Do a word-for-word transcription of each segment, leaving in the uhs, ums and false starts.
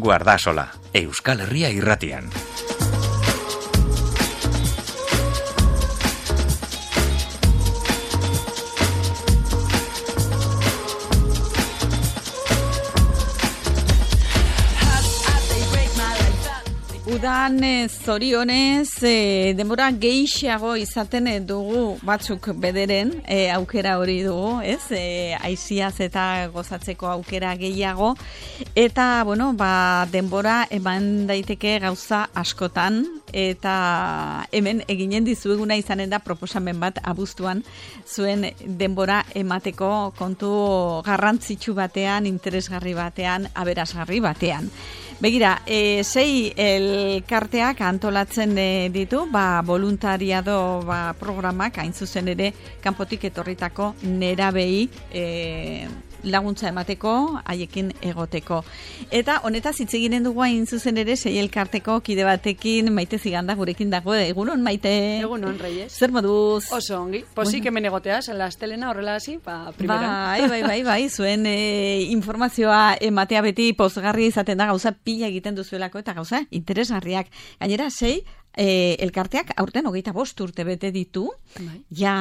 Guardasola, Euskal Herria irratian. Udan zorionez e, denbora gehiago izaten dugu batzuk bederen e, aukera hori dugu, ez? E, aiziaz eta gozatzeko aukera gehiago eta bueno, ba, denbora eman daiteke gauza askotan eta hemen eginen dizueguna izanen da proposamen bat abuztuan zuen denbora emateko kontu garrantzitsu batean, interesgarri batean, aberasgarri batean. Begira, e, sei elkarteak antolatzen e, ditu, ba, voluntariado ba, programak, hain zuzen ere, kanpotik etorritako nerabei e, laguntza emateko, haiekin egoteko. Eta honetaz hitz eginen dugu hain zuzen ere, sei elkarteko kide batekin, Maite Ziganda gurekin dago, egunon, Maite? Egunon, Reyes. Zer moduz? Oso ongi, posik bueno. Hemen egoteaz, la estelena horrela hasi, ba, primera. Bai, bai, bai, bai, zuen e, informazioa ematea beti pozgarri izaten da, gauza pila egiten duzuelako eta gauza interesgarriak. Gainera, sei, e, elkarteak aurten hogeita bost urte bete ditu, bai. Ja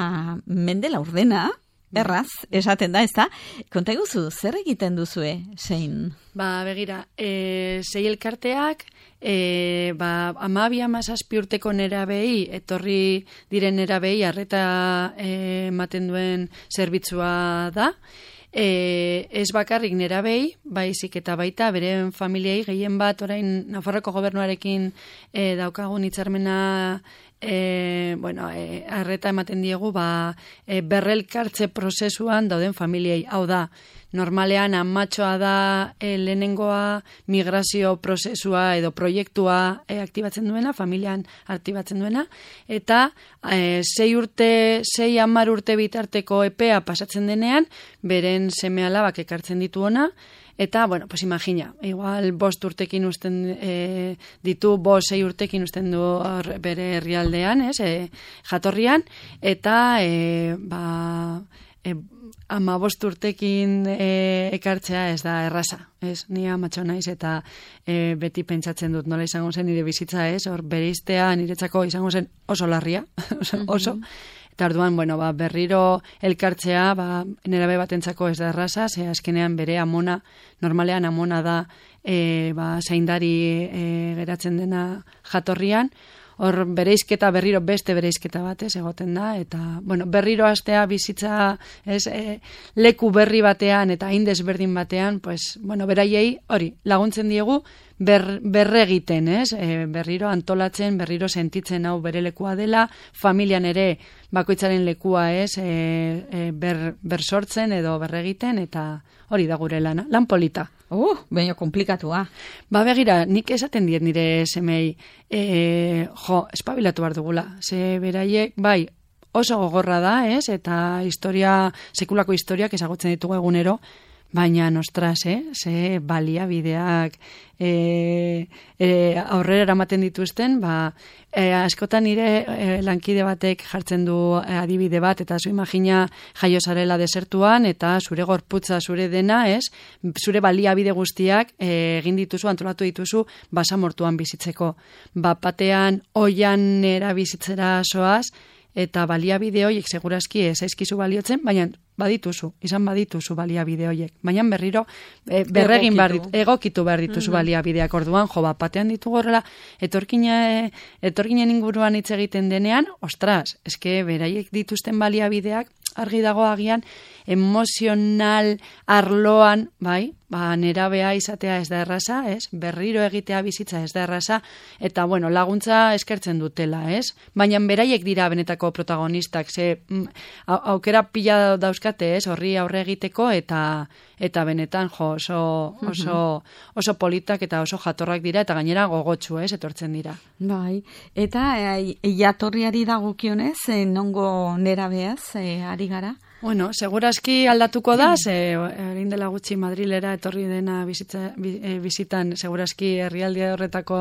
mende laurdena, erraz, esaten da, ez da? Konta iguzu, zer egiten duzue, zein? Ba, begira, e, sei elkarteak, e, ba, amabi amazazpi urteko nerabei, etorri diren nerabei, arreta ematen duen zerbitzua da, E, ez bakarrik nerabei, baizik eta baita beren familiei gehien bat orain Nafarroako gobernuarekin e, daukagun hitzarmena e, bueno, e, arreta ematen diegu ba, e, berrelkartze prozesuan dauden familiei. Hau da, normalean amatxoa da e, lehenengoa migrazio prozesua edo proiektua e, aktibatzen duena, familian aktibatzen duena, eta e, sei urte, sei hamar urte bitarteko epea pasatzen denean, beren seme alabak ekartzen ditu ona, eta, bueno, pues imagina, igual bost urtekin usten e, ditu, bost sei urtekin usten du or, bere herrialdean, ez, e, jatorrian, eta, e, ba, e, ama bost urtekin e, ekartzea ez da erraza, ez, ni amatxo naiz eta e, beti pentsatzen dut nola izango zen nire bizitza, ez, hor bereiztea niretzako izango zen oso larria, oso, oso. Eta orduan, bueno, ba, berriro elkartzea, ba, nerabe batentzako ez da erraza, ze azkenean bere amona, normalean amona da e, ba, zaindari e, geratzen dena jatorrian, hor bereizketa berriro beste bereizketa batez egoten da, eta bueno, berriro hastea bizitza ez, e, leku berri batean eta hain desberdin batean, pues, bueno, beraiei hori laguntzen diegu ber, berregiten, ez? E, berriro antolatzen, berriro sentitzen hau bere lekua dela, familian ere bakoitzaren lekua, ez? E, e, ber, bersortzen edo berregiten, eta hori da gure lana, lan polita. Uh, baina komplikatua. Ba, begira, nik esaten diet nire semei, e, jo, espabilatu behar dugula. Ze beraiek, bai, oso gogorra da, ez? Eta historia, sekulako historiak ezagutzen ditugu egunero, baina nostras, eh? Ze baliabideak e, e, aurrera eramaten dituzten, ba, e, askotan nire e, lankide batek jartzen du e, adibide bat, eta zu imagina jaio zarela desertuan, eta zure gorputza, zure dena, ez? Zure baliabide guztiak e, egin dituzu, antolatu dituzu, basamortuan bizitzeko. Bat batean, oian erabizitzera soaz, eta baliabide horiek segurazki ez aizkizu baliotzen, baina badituzu, izan badituzu baliabide horiek. Baina berriro e, berregin behar ditu, egokitu behar dituzu mm-hmm. baliabideak orduan, jo, bat batean ditugu horrela, etorkine, etorkinen inguruan hitz egiten denean, ostras, eske beraiek dituzten baliabideak, argi dago agian, emozional arloan, bai, ba, nerabea izatea ez da erraza, ez? Berriro egitea bizitza ez da erraza, eta, bueno, laguntza eskertzen dutela, ez? Baina beraiek dira benetako protagonistak, ze mm, aukera pila dauzkate, ez? Horri aurre egiteko, eta eta benetan, jo, oso, oso, oso politak eta oso jatorrak dira, eta gainera gogotsu, ez? Etortzen dira. Bai, eta e, jatorriari dagokionez, e, nongo nerabeaz, e, ari gara? Bueno, segurazki aldatuko da, ze egin dela gutxi Madrilera etorri dena bizitza, bizitan, segurazki herrialde horretako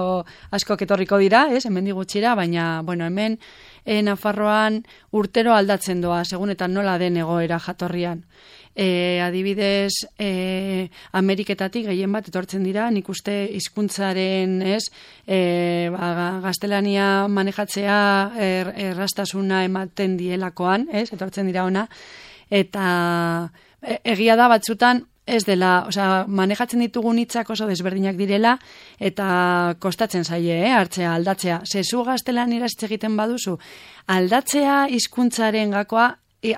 askok etorriko dira, ez, hemen gutxira, baina, bueno, hemen e, Nafarroan urtero aldatzen doa, segun eta nola den egoera jatorrian. E, adibidez, e, Ameriketatik gehien bat etortzen dira, nik uste hizkuntzaren ez, e, ba, gaztelania manejatzea er, errastasuna ematen dielakoan, ez, etortzen dira ona, eta e, egia da batzutan, ez dela, osea, manejatzen ditugun hitzak oso desberdinak direla eta kostatzen zaie, eh, hartzea, aldatzea. Zezu gaztelaniera hitz egiten baduzu, aldatzea hizkuntzaren gakoa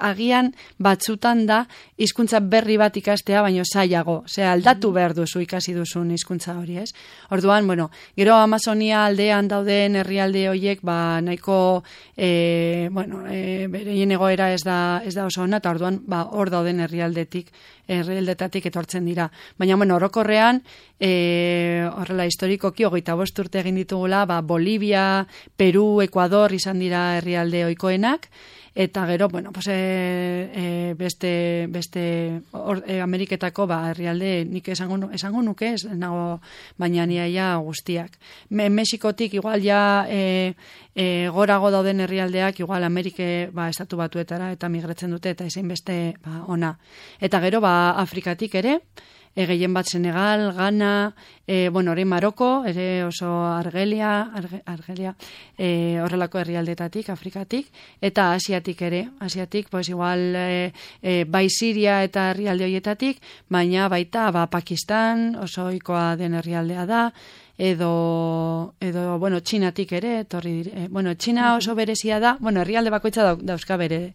agian batzutan da hizkuntza berri bat ikastea, baino zailago. Osea, aldatu behar duzu ikasi duzun hizkuntza hori, ez? Orduan, bueno, gero Amazonia aldean dauden herrialde horiek, ba, nahiko, e, bueno, e, bereien egoera ez da, ez da oso ona, eta orduan, ba, hor dauden herrialdetik, herrialdetatik etortzen dira. Baina, bueno, orokorrean, e, horrela historikoki, hogeita bost urte egin ditugula, ba, Bolivia, Peru, Ecuador izan dira herrialde ohikoenak, eta gero, bueno, pues, e, e, beste, beste or, e, Ameriketako ba, herrialde nik esango, esango nuke, ez nago baina niaia guztiak. Me, Mexikotik igual ja e, e, gorago dauden herrialdeak, igual Amerike ba, estatu batuetara eta migratzen dute, eta ezin beste ba, ona. Eta gero, ba, Afrikatik ere, E, gehien bat Senegal, Ghana, e, bueno, hori Maroko, ere oso Argelia, Arge, Argelia e, horrelako herrialdetatik, Afrikatik, eta Asiatik ere, Asiatik, pues igual e, e, bai Siria eta herrialde horietatik, baina baita ba, Pakistan, oso ohikoa den herrialdea da, edo, edo bueno, Txinatik ere, torri dire, bueno, Txina oso berezia da, bueno, herrialde bakoitza da, dauzka bere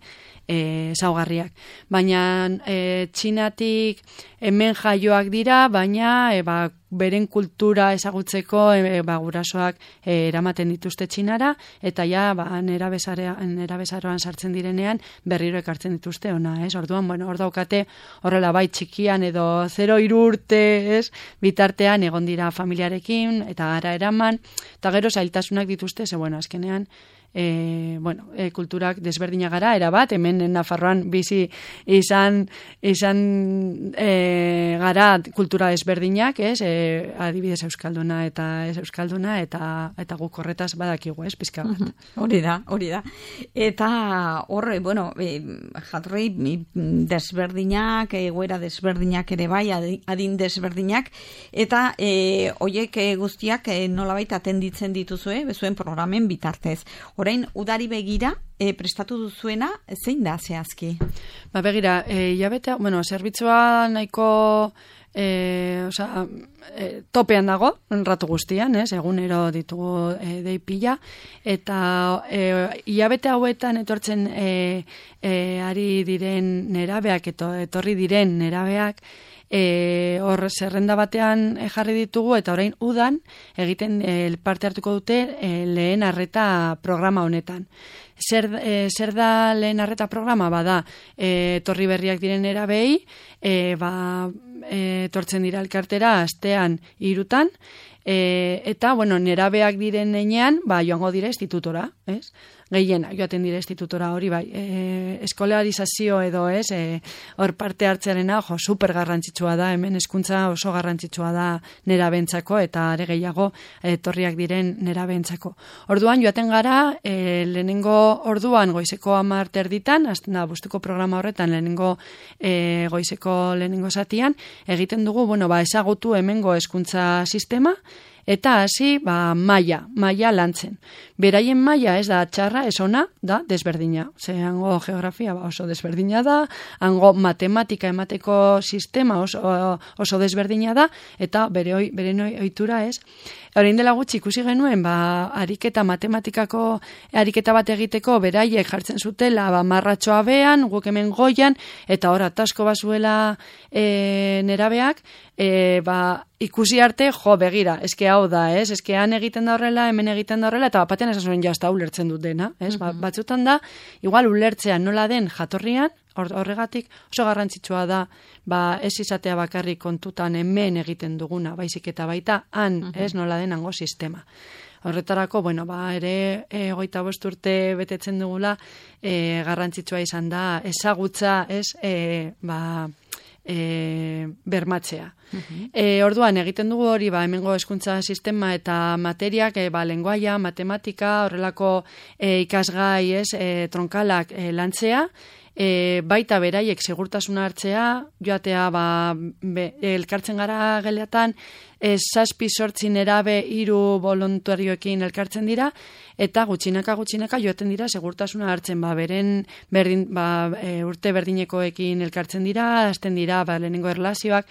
E, zaugarriak. Baina e, Txinatik hemen jaioak dira, baina e, ba, beren kultura ezagutzeko e, ba, gurasoak e, eramaten dituzte Txinara, eta ja ba, nerabezaroan sartzen direnean berriro ekartzen dituzte ona, ez? Orduan, bueno, hor daukate horrela bai txikian edo zero hiru urte, ez? Bitartean egon dira familiarekin, eta gara eraman, eta gero zailtasunak dituzte, ze bueno, azkenean E, bueno, e, kulturak desberdina gara, erabat, hemen Nafarroan bizi izan, izan e, gara kultura desberdinak, ez, e, adibidez euskalduna eta ez euskalduna, eta eta guk horretaz badakigu, ez, pizka bat. Hori da, hori da. Eta horre, bueno, e, jatorri desberdinak, egoera desberdinak ere bai, adin desberdinak, eta e, oiek e, guztiak e, nolabait atenditzen dituzue, bezuen programen bitartez. Orain, udari begira, e, prestatu duzuena, zein da zehazki? Ba, begira, e, jabeta, bueno, zerbitzua nahiko e, oza, e, topean dago, ratu guztian, ez, egunero ditugu e, deipila, eta e, hilabete hauetan etortzen e, e, ari diren nerabeak, eto, etorri diren nerabeak, E, hor zerrenda batean jarri ditugu, eta orain udan egiten e, parte hartuko dute e, lehen arreta programa honetan. Zer, e, zer da lehen arreta programa? Bada, e, torri berriak diren erabei, e, ba, e, tortzen dira elkartera astean hirutan, e, eta, bueno, nerabeak diren enean, ba, joango dira institutora, ez? Gehiena, joaten dira institutora hori, bai, e, eskolarizazio edo ez, e, hor parte hartzearena, jo, super garrantzitsua da, hemen hezkuntza oso garrantzitsua da nerabentzako, eta are gehiago etorriak diren nerabentzako. Orduan, joaten gara, e, lehenengo orduan goizeko hamar terditan, azten da, bustuko programa horretan, lehenengo e, goizeko lehenengo zatian, egiten dugu, bueno, ba, ezagutu hemengo hezkuntza sistema, eta hasi, ba, maila, maila lantzen. Beraien maila ez da txarra, ez ona, da desberdina. Ze hango geografia ba, oso desberdina da, hango matematika emateko sistema oso, oso desberdina da, eta bere, oi, bere ohitura ez. Orain dela gutxi ikusi genuen, ba, ariketa matematikako ariketa bat egiteko beraiek jartzen zutela, ba, marratxoa bean, guk hemen goian, eta hor atasko bazuela e, nerabeak, e, ba, ikusi arte, jo, begira, eske hau da, ez? Eske han egiten da horrela, hemen egiten da horrela, eta batean esan zuen jazta ulertzen dut dena, ez? Ba, batzutan da, igual ulertzea nola den jatorrian, horregatik oso garrantzitsua da, ba, ez izatea bakarrik kontutan hemen egiten duguna, baizik eta baita han, uh-huh. ez nola den hango sistema. Horretarako, bueno, ba, ere e, hogeita bost urte betetzen dugula, e, garrantzitsua izan da, ezagutza, ez, e, ba, e, bermatzea. Uh-huh. E, orduan, egiten dugu hori, ba, hemengo hezkuntza sistema eta materiak, e, ba, lenguaia, matematika, horrelako e, ikasgai, ez, e, tronkalak e, lantzea, e, baita beraiek segurtasuna hartzea, joatea, ba, be, elkartzen gara geleatan, e, zazpi sortzin erabe hiru voluntarioekin elkartzen dira, eta gutxinaka gutxinaka joaten dira segurtasuna hartzen, ba, beren berdin, ba, e, urte berdinekoekin elkartzen dira, hasten dira, ba, lehenengo erlazioak,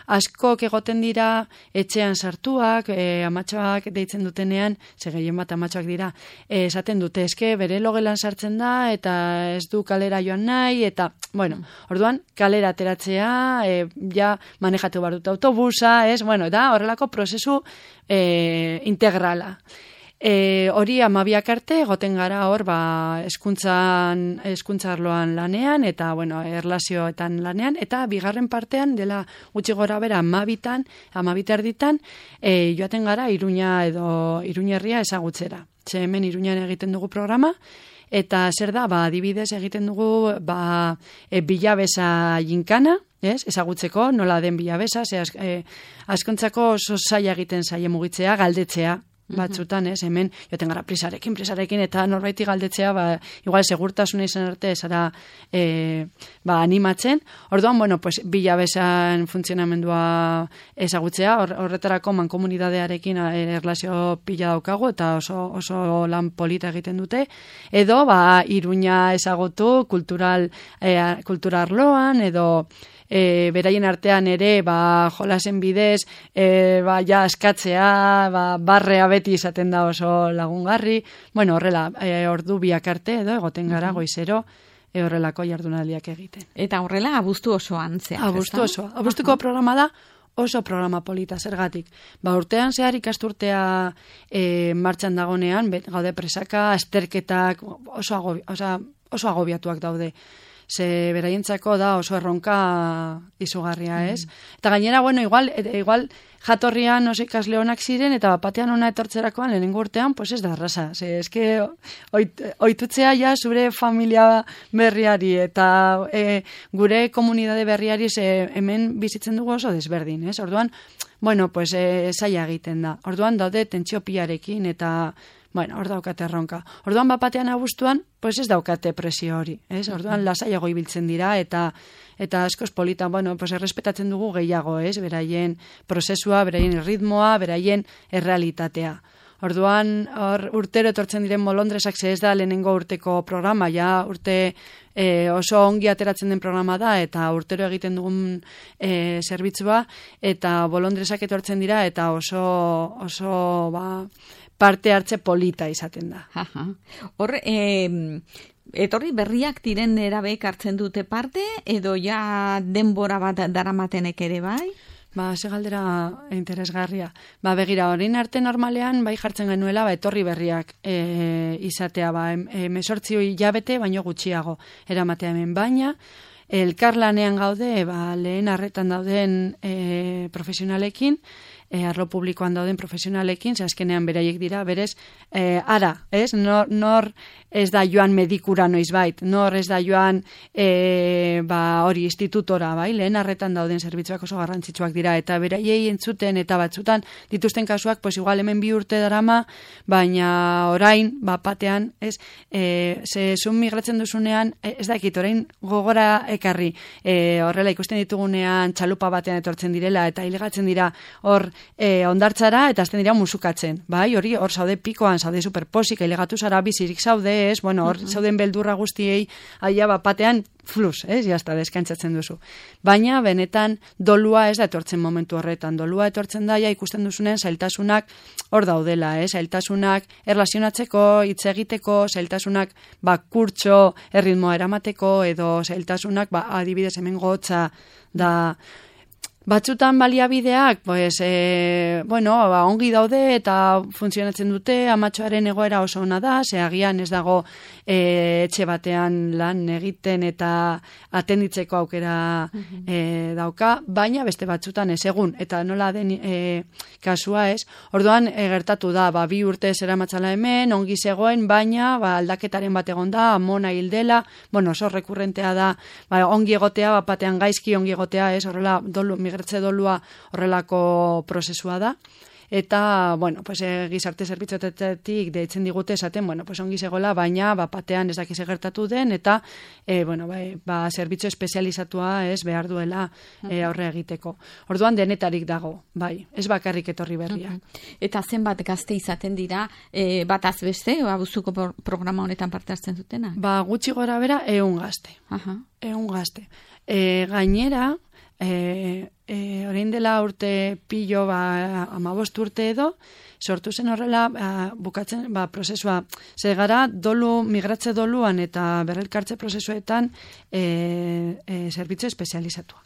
askok egoten dira etxean sartuak, e, amatxoak deitzen dutenean, ze gehien bat amatxoak dira, e, esaten dute, eske bere logelan sartzen da, eta ez du kalera joan nahi, eta, bueno, orduan, kalera ateratzea, e, ja manejatu behar dut autobusa, ez, bueno, eta horrelako prozesu e, integrala. E, hori amabiak arte, goten gara hor, ba, eskuntzan, eskuntza arloan lanean, eta, bueno, erlazioetan lanean, eta bigarren partean, dela gutxi gora bera, amabitan, amabita erditan, e, joaten gara Iruña edo Iruñerria ezagutzera. Ze hemen Iruñan egiten dugu programa, eta zer da, ba, adibidez egiten dugu, ba, e, bilabesa jinkana, ez, ezagutzeko, nola den bilabesa, ze az, e, askontzako oso zaila egiten zaie mugitzea, galdetzea, batzutan, ez, hemen, joten gara prisarekin, prisarekin, eta norbaiti galdetzea, ba, igual segurtasuna izan arte, esara, e, ba, animatzen. Orduan, bueno, pues, bilabesan funtzionamendua ezagutzea, hor, horretarako mankomunidadearekin erlazio pila daukagu, eta oso, oso lan polita egiten dute, edo, ba, Iruña ezagutu, kultural, e, kulturarloan, edo, E, beraien artean ere, ba, jolasen bidez, e, ba, ja, askatzea, ba, barrea beti izaten da oso lagungarri, bueno, horrela, e, ordu biak arte, edo, egoten gara, goizero, e, horrelako jardunaldiak egiten. Eta horrela, abuztu osoan zeak, abuztu osoa. Abuztuko programa da, oso programa polita, zergatik. Ba, urtean zehar ikasturtea e, martxan dagonean, gaude presaka, azterketak, oso, agobi, oso, oso agobiatuak daude. Ze beraientzako da oso erronka izugarria, ez? Mm. Eta gainera, bueno, igual, e, igual jatorrian oso ikasle honak ziren, eta batean ona etortzerakoan lehenengo urtean, pues ez da arrasa. Ze, eske, oit, oitutzea ja zure familia berriari, eta e, gure komunidade berriari ze hemen bizitzen dugu oso desberdin, ez? Orduan, bueno, pues e, zaila egiten da. Orduan daude tentsio pilarekin, eta bueno, hor daukate erronka. Orduan bapatean abuztuan, pues ez daukate presio hori, ez? Orduan lasaiago ibiltzen dira, eta eta askoz polita, bueno, pues errespetatzen dugu gehiago, ez? Beraien prozesua, beraien ritmoa, beraien errealitatea. Orduan, hor urtero etortzen diren molondresak, ze ez da lehenengo urteko programa, ja urte e, oso ongi ateratzen den programa da, eta urtero egiten dugun e, zerbitzua, eta bolondresak etortzen dira, eta oso, oso, ba, parte hartze polita izaten da. Hor, eh, etorri berriak diren erabek hartzen dute parte, edo ja denbora bat daramatenek ere bai? Ba, ze galdera interesgarria. Ba, begira, orain arte normalean, bai jartzen genuela, ba, etorri berriak e, izatea, ba, mesortzio hilabete, baino gutxiago eramatea hemen, baina, elkarlanean gaude, ba, lehen arretan dauden e, profesionalekin, E, arlo publikoan dauden profesionalekin, ze azkenean beraiek dira, berez, e, ara, ez? Nor, nor ez da joan medikura noizbait, nor ez da joan e, ba, hori institutora, bai? Lehen arretan dauden zerbitzuak oso garrantzitsuak dira, eta beraiei entzuten, eta batzutan dituzten kasuak, pues igual hemen bi urte darama, baina orain, ba, patean, ez? E, ze zun migratzen duzunean, ez dakit, orain gogora ekarri, e, horrela ikusten ditugunean txalupa batean etortzen direla, eta hilegatzen dira hor E, ondartzara, eta azten dira musukatzen, bai, hori, hor zaude pikoan, zaude superposik, ailegatu zara bizirik zaude, ez, bueno, hor uh-huh. zauden beldurra guztiei, aia bapatean, flus, ez, jazta, deskantzatzen duzu. Baina, benetan, dolua ez da etortzen momentu horretan, dolua etortzen da, ja, ikusten duzunen, zailtasunak hor daudela, ez, zailtasunak erlazionatzeko, hitz egiteko, zailtasunak, ba, kurtso, erritmoa eramateko, edo zailtasunak, ba, adibidez hemen gotza, da, Batzutan baliabideak, pues, e, bueno, ba, ongi daude eta funtzionatzen dute, amatxoaren egoera oso ona da, ze agian ez dago e, etxe batean lan egiten eta atenditzeko aukera e, dauka, baina beste batzutan ez egun, eta nola den e, kasua ez, orduan e, gertatu da, ba, bi urte zera matzala hemen, ongi zegoen, baina ba, aldaketaren bat egon da, amona hildela, bueno, oso rekurrentea da, ba, ongi egotea, bat batean gaizki ongi egotea, ez, horrela, dolu, migratze dolua horrelako prozesua da. Eta, bueno, pues, e, gizarte zerbitzuetatik deitzen digute esaten, bueno, pues, ongi zegoela, baina bat batean ez dakiz gertatu den, eta, e, bueno, ba, ba, zerbitzu espezializatua ez behar duela e, aurre egiteko. Orduan denetarik dago, bai, ez bakarrik etorri berriak. Eta zenbat gazte izaten dira, e, bat azbeste, abuztuko programa honetan parte hartzen dutena? Ba, gutxi gora bera, eun gazte. Aha. Eun gazte. E, gainera, E, e, orain dela urte pilo ba, amabost urte edo, sortu zen horrela ba, bukatzen ba, prozesua. Zer gara, dolu, migratze doluan eta berrelkartze prozesuetan e, e, zerbitzu espezializatua.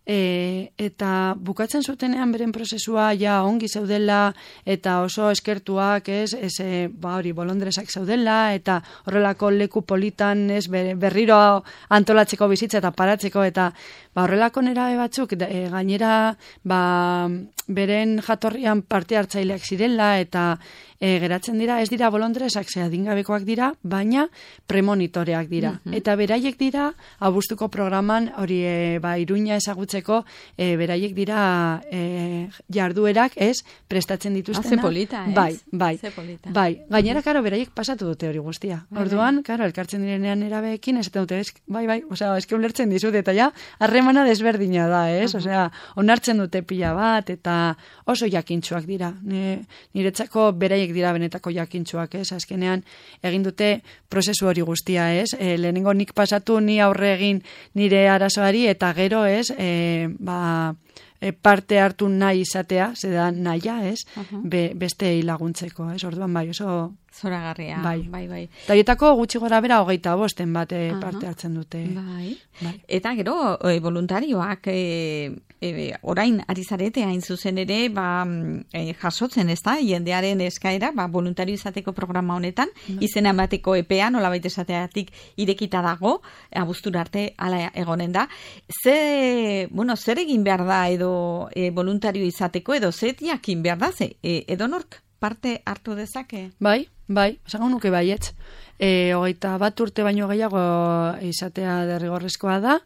E, eta bukatzen zutenean beren prozesua ja ongi zaudela eta oso eskertuak ez, ez e, ba hori bolondresak zaudela eta horrelako leku politan ez berriro antolatzeko bizitza eta paratzeko eta ba horrelako nerabe batzuk e, gainera ba beren jatorrian parte hartzaileak zirela eta e, geratzen dira, ez dira bolondresak ze adingabekoak dira, baina premonitoreak dira. Mm-hmm. Eta beraiek dira abuztuko programan hori e, ba Iruña ezagutzeko e, beraiek dira e, jarduerak, ez, prestatzen dituztena. Haze polita, ez? Bai, bai. Haze polita. Bai, gainera karo beraiek pasatu dute hori guztia. Orduan, karo, elkartzen direnean erabeekin esaten dute, ez, bai, bai, osea, eske ulertzen dizut eta ja harremana desberdina da, ez? Uh-huh. Osea, onartzen dute pila bat eta oso jakintsuak dira. Niretzako beraiek dira benetako jakintsuak, ez? Azkenean egin dute prozesu hori guztia, ez? E, lehenengo nik pasatu, ni aurre egin nire arazoari eta gero, ez? E, ba, e, parte hartu nahi izatea, zeda nahia, ez? Uh-huh. Be, beste laguntzeko, ez? Orduan bai, oso zoragarria, bai, bai, bai. Eta horietako gutxi gora bera hogeita bosten bat uh-huh. parte hartzen dute. Bai. Bai. Eta gero, e, voluntarioak e, e, orain ari zarete hain zuzen ere, ba, e, jasotzen ez da, jendearen eskaera, ba, voluntario izateko programa honetan, bai. Izena emateko epea, nolabait esateatik irekita dago, abuztura arte ala egonen da. Ze, bueno, zer egin behar da edo e, voluntario izateko, edo zer jakin behar da, ze, e, edo nork parte hartu dezake? Bai, bai, esango nuke baietz. E, hogeita bat urte baino gehiago izatea derrigorrezkoa da,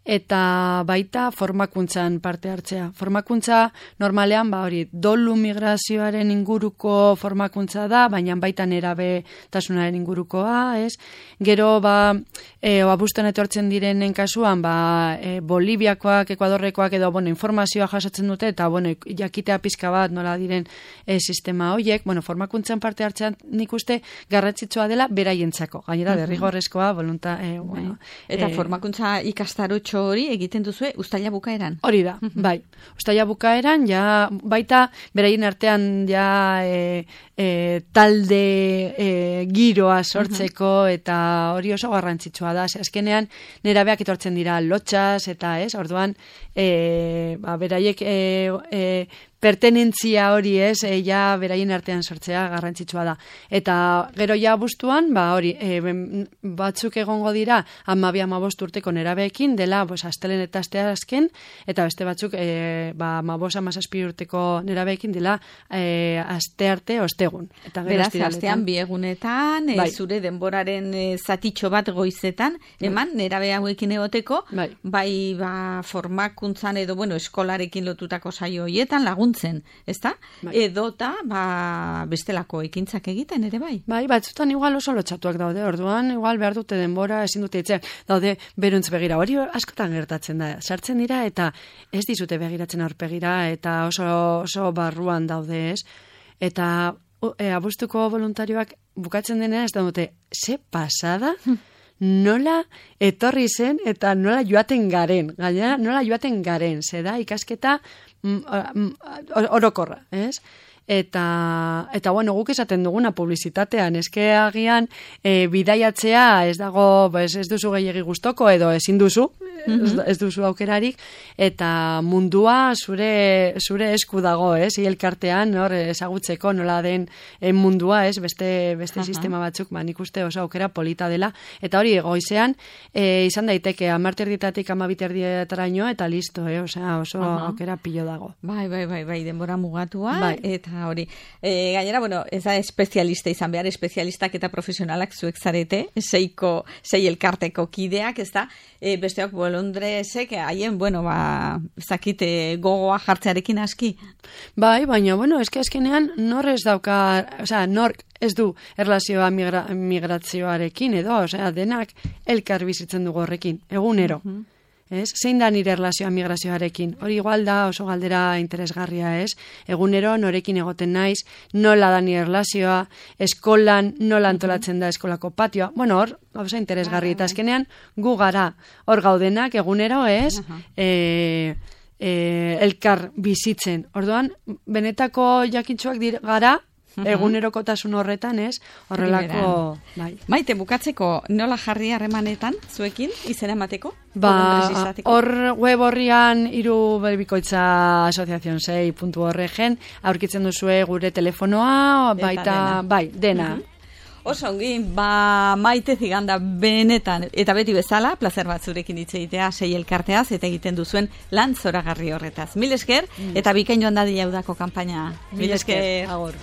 eta baita formakuntzan parte hartzea. Formakuntza normalean, ba hori, dolu migrazioaren inguruko formakuntza da, baina baita nerabe tasunaren ingurukoa, ez? Gero, ba, e, abuztuan etortzen direnen kasuan, ba, e, Boliviakoak, Ekuadorrekoak edo, bueno, informazioa jasotzen dute, eta, bueno, jakitea pizka bat nola diren e, sistema horiek, bueno, formakuntzan parte hartzean nik uste garrantzitsua dela beraientzako. Gainera, derrigorrezkoa, volunta, e, bueno. Eta e, formakuntza ikastarotxo hori egiten duzue uztaila bukaeran. Hori da, bai. Uztaila bukaeran, ja, baita, beraien artean, ja, e, e, talde e, giroa sortzeko, eta hori oso garrantzitsua da. Azkenean, nerabeak etortzen dira lotxas, eta ez, orduan, e, ba, beraiek e, e, pertenentzia hori ez, e, ja beraien artean sortzea garrantzitsua da. Eta gero ja abuztuan, ba hori, e, batzuk egongo dira hamabi hamabost urteko nerabeekin, dela pues, astelen eta asteazken, eta beste batzuk e, ba, hamabost hamazazpi urteko nerabeekin dela e, aste arte ostegun. Eta beraz, astean bi egunetan, e, bai. Zure denboraren e, zatitxo bat goizetan, eman, bai. Nerabe hauekin egoteko, bai, bai ba, formakuntzan edo, bueno, eskolarekin lotutako saio hoietan lagun zen, ezta? Bai. Edota, ba, bestelako ekintzak egiten ere bai? Bai, batzutan igual oso lotxatuak daude, orduan, igual behar dute denbora, ezin dute itzea, daude beruntz begira, hori askotan gertatzen da, sartzen dira eta ez dizute begiratzen aurpegira eta oso, oso barruan daude ez, eta e, abuztuko voluntarioak bukatzen denean ez da dute, ze pasada? Nola etorri zen eta nola joaten garen, gainera nola joaten garen, ze da ikasketa mm, mm, orokorra, ez? eta, eta bueno, guk esaten duguna publizitatean, eske agian e, bidaiatzea ez dago, ez, ez duzu gehiegi gustoko edo ezin duzu, mm-hmm. ez duzu aukerarik, eta mundua zure, zure esku dago, ez, elkartean, hor, ezagutzeko nola den mundua, ez, beste, beste uh-huh. sistema batzuk, ba, nik uste oso aukera polita dela, eta hori goizean, e, izan daiteke, amarterditatik amabiterdietaraino, eta listo, eh, osea, oso uh-huh. aukera pilo dago. Bai, bai, bai, bai, denbora mugatua, bai. Eta hori, e, gainera, bueno, ez da espezialista izan behar, espezialistak eta profesionalak zuek zarete, seiko, sei elkarteko kideak, ez da, e, besteok bolondresek, haien, bueno, ba, zakite gogoa jartzearekin aski. Bai, baina, bueno, eske azkenean nor ez dauka, osea, nor ez du erlazioa migra, migrazioarekin edo, osea, denak elkar bizitzen dugu horrekin, egunero. Uh-huh. Ez? Zein da nire erlazioa migrazioarekin? Hori igual da oso galdera interesgarria, ez? Egunero norekin egoten naiz, nola da nire erlazioa, eskolan nola antolatzen da eskolako patioa. Bueno, hor, gauza interesgarri, eta azkenean gu gara hor gaudenak egunero, ez? Uh-huh. E, e, elkar bizitzen. Orduan, benetako jakintsuak dir, gara, egunerokotasun horretan, ez? Horrelako, bai. Maite, bukatzeko, nola jarri harremanetan zuekin izena emateko? Ba, hor web horrian hiru bikoitza asoziazion sei puntu org aurkitzen duzue gure telefonoa, baita, dena. bai, dena. Uh-huh. Oso ongi, ba, Maite Ziganda benetan, eta beti bezala, plazer bat zurekin hitz egitea sei elkarteaz, eta egiten duzuen lan zoragarri horretaz. Mil esker, mm. eta bikain joan dadila udako kanpaina. Mil esker, agor.